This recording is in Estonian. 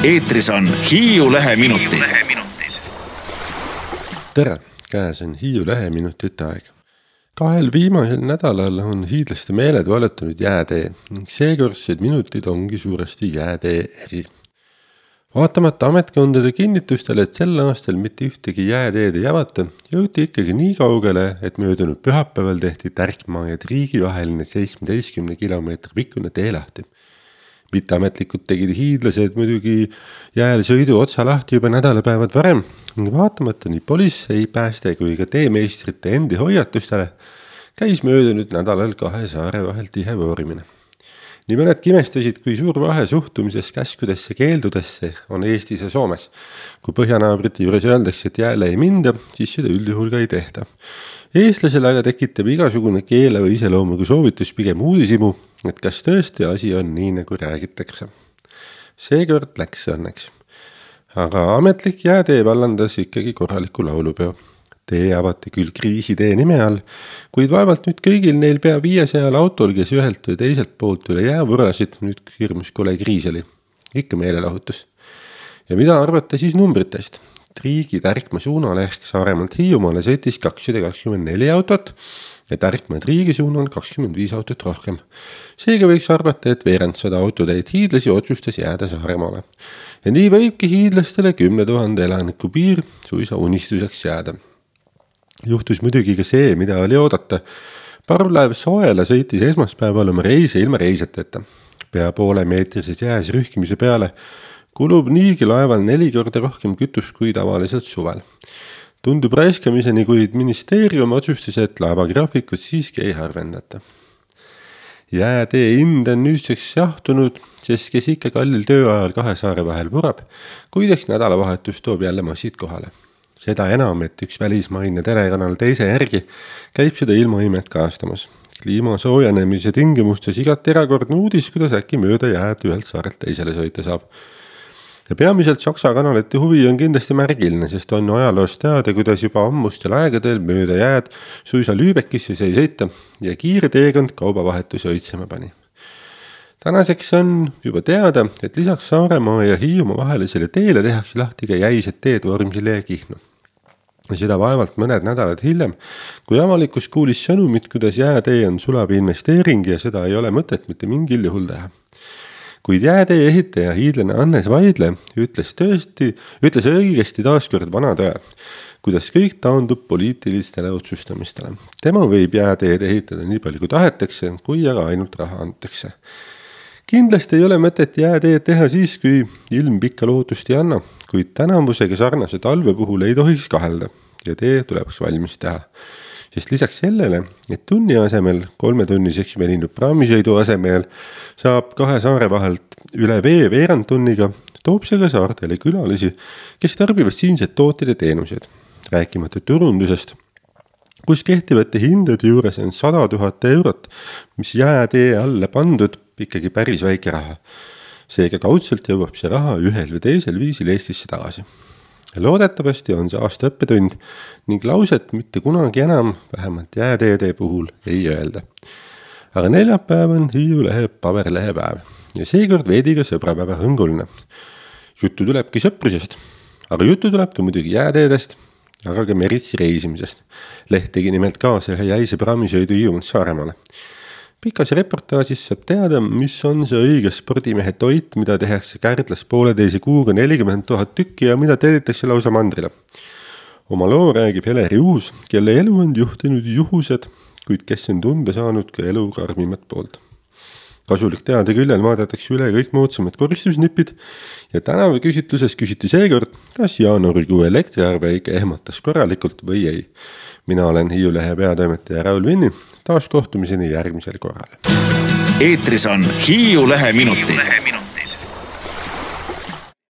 Eetris on Hiiu Leheminutid. Tere, käes on Hiiu Leheminutite aeg. 2 viimasel nädalal on hiidlaste meeled valutanud jäätee ning seekordsed minutid ongi suuresti jäätee eri. Vaatamata ametkondade kinnitustele, et sel aastal mitte ühtegi jääteed ei avata, jõuti ikkagi nii kaugele, et möödunud pühapäeval tehti Tärkmaa ja Triigi vaheline 17 kilomeetri pikkune tee lahti. Mitteametlikud tegid hiidlased muidugi jääl sõidu otsa lahti juba nädalapäevad varem ning vaatamata nii politsei, pääste kui ka teemeistrite endi hoiatustele käis möödunud nädalal 2 saare vahel tihe voorimine. Nii mõnedki imestasid, kui suur vahe suhtumises käskudesse keeldudesse on Eestis ja Soomes. Kui põhjanaabrite juures öeldakse, et jääle ei minda, siis seda üldjuhul ka ei tehta. Eestlasele aga tekitab igasugune keeleva iseloomuga soovitus pigem uudishimu, et kas tõesti asi on nii, nagu räägitakse. Seekord läks õnneks. Aga ametlik jäätee vallandas ikkagi korraliku laulupeo. Tee avati küll kriisitee nime all, kuid vaevalt nüüd kõigil neil pea 500 autol, kes ühelt või teiselt poolt üle jää võrasid, nüüd hirmus kole kriis oli. Ikka meelelahutus. Ja mida arvata siis numbritest? Triigi Tärkmaa suunal ehk Saaremaalt Hiiumaale sõitis 224 autot ja Tärkmaa Triigi suunal 25 autot rohkem. Seega võiks arvata, et veerand 100 autotäit hiidlasi otsustas jääda Saaremaale. Ja nii võibki hiidlastele 10 000 elaniku piir suisa unistuseks jääda. Juhtus muidugi ka see, mida oli oodata. Parvlaev Soela sõitis esmaspäeval oma reise ilma reisjateta. Pea poole meetrises jääs rühkimise peale kulub niigi laeval 4 korda rohkem kütust kui tavaliselt suvel. Tundub raiskamiseni, kuid ministeerium otsustas, et laeva graafikut siiski ei harvendata. Jäätee hind on nüüdseks jahtunud, sest kes ikka kallil tööajal 2 saare vahel vurab, kuideks nädalavahetus toob jälle massid kohale. Seda enam, et üks välismaine telekanal teise järgi käib seda ilmaimet kaastamas. Kliima soojenemise tingimustes igati erakordne uudis, kuidas äkki mööda jääd ühelt saarelt teisele sõita saab. Ja peamiselt Saksa kanalite huvi on kindlasti märgiline, sest on ajaloost teada, kuidas juba ammustel aegadel mööda jääd suisa Lübeckisse sai sõita ja kiire teekond kaubavahetuse õitsema pani. Tänaseks on juba teada, et lisaks Saaremaa ja Hiiumaa vahelisele teele tehakse lahti ka jäised teed Vormsile ja Kihnu. Ja seda vaevalt mõned nädalad hiljem, kui avalikkus kuulis sõnumit, kuidas jäätee on sulav investeering ja seda ei ole mõtet mitte mingil juhul teha. Kuid jäätee ehitaja hiidlane Hannes Vaidle ütles õigesti taaskord vana tõe, kuidas kõik taandub poliitilistele otsustamistele. Tema võib jääteed ehitada nii palju kui tahetakse, kui aga ainult raha antakse. Kindlasti ei ole mõtet jääteed teha siis, kui ilm pikka lootust ei anna, kuid tänavusega sarnase talve puhul ei tohiks kahelda ja tee tuleks valmis teha. Sest lisaks sellele, et tunni asemel 3-tunniseks veninud praamisõidu asemel saab 2 saare vahelt üle vee veerand tunniga, toob see ka saartele külalisi, kes tarbivad siinsed tooted ja teenused. Rääkimata turundusest, kus kehtivate hindade juures on 100 000 eurot, mis jäätee alla pandud ikkagi päris väike raha. Seega kaudselt jõuab see raha ühel või teisel viisil Eestisse tagasi. Loodetavasti on see aasta õppetund ning lauset mitte kunagi enam, vähemalt jääteede puhul, ei öelda. Aga neljapäev on Hiiu Lehe paberlehepäev ja seekord veidi ka sõbrapäeva hõnguline. Juttu tulebki sõprusest, aga juttu tuleb ka muidugi jääteedest, aga ka meritsi reisimisest. Leht tegi nimelt kaasa ühe jäise praamisõidu Hiiumaalt Saaremaale. Pikas reportaažis saab teada, mis on see õige spordimehe toit, mida tehakse Kärdlas 1,5 kuuga 40 000 tükki ja mida tellitakse lausa mandrile. Oma loo räägib Heleri Uus, kelle elu on juhtinud juhused, kuid kes on tunda saanud ka elu karmimat poolt. Kasulik teada küljel vaadatakse üle kõik moodsamad koristusnipid ja tänava küsitluses küsiti seekord, kas jaanuarikuu elektriarve ikka ehmatas korralikult või ei. Mina olen Hiiu Lehe peatoimetaja Raul Vinni, taas kohtumiseni järgmisel korral. Eetris on Hiiu Leheminutid.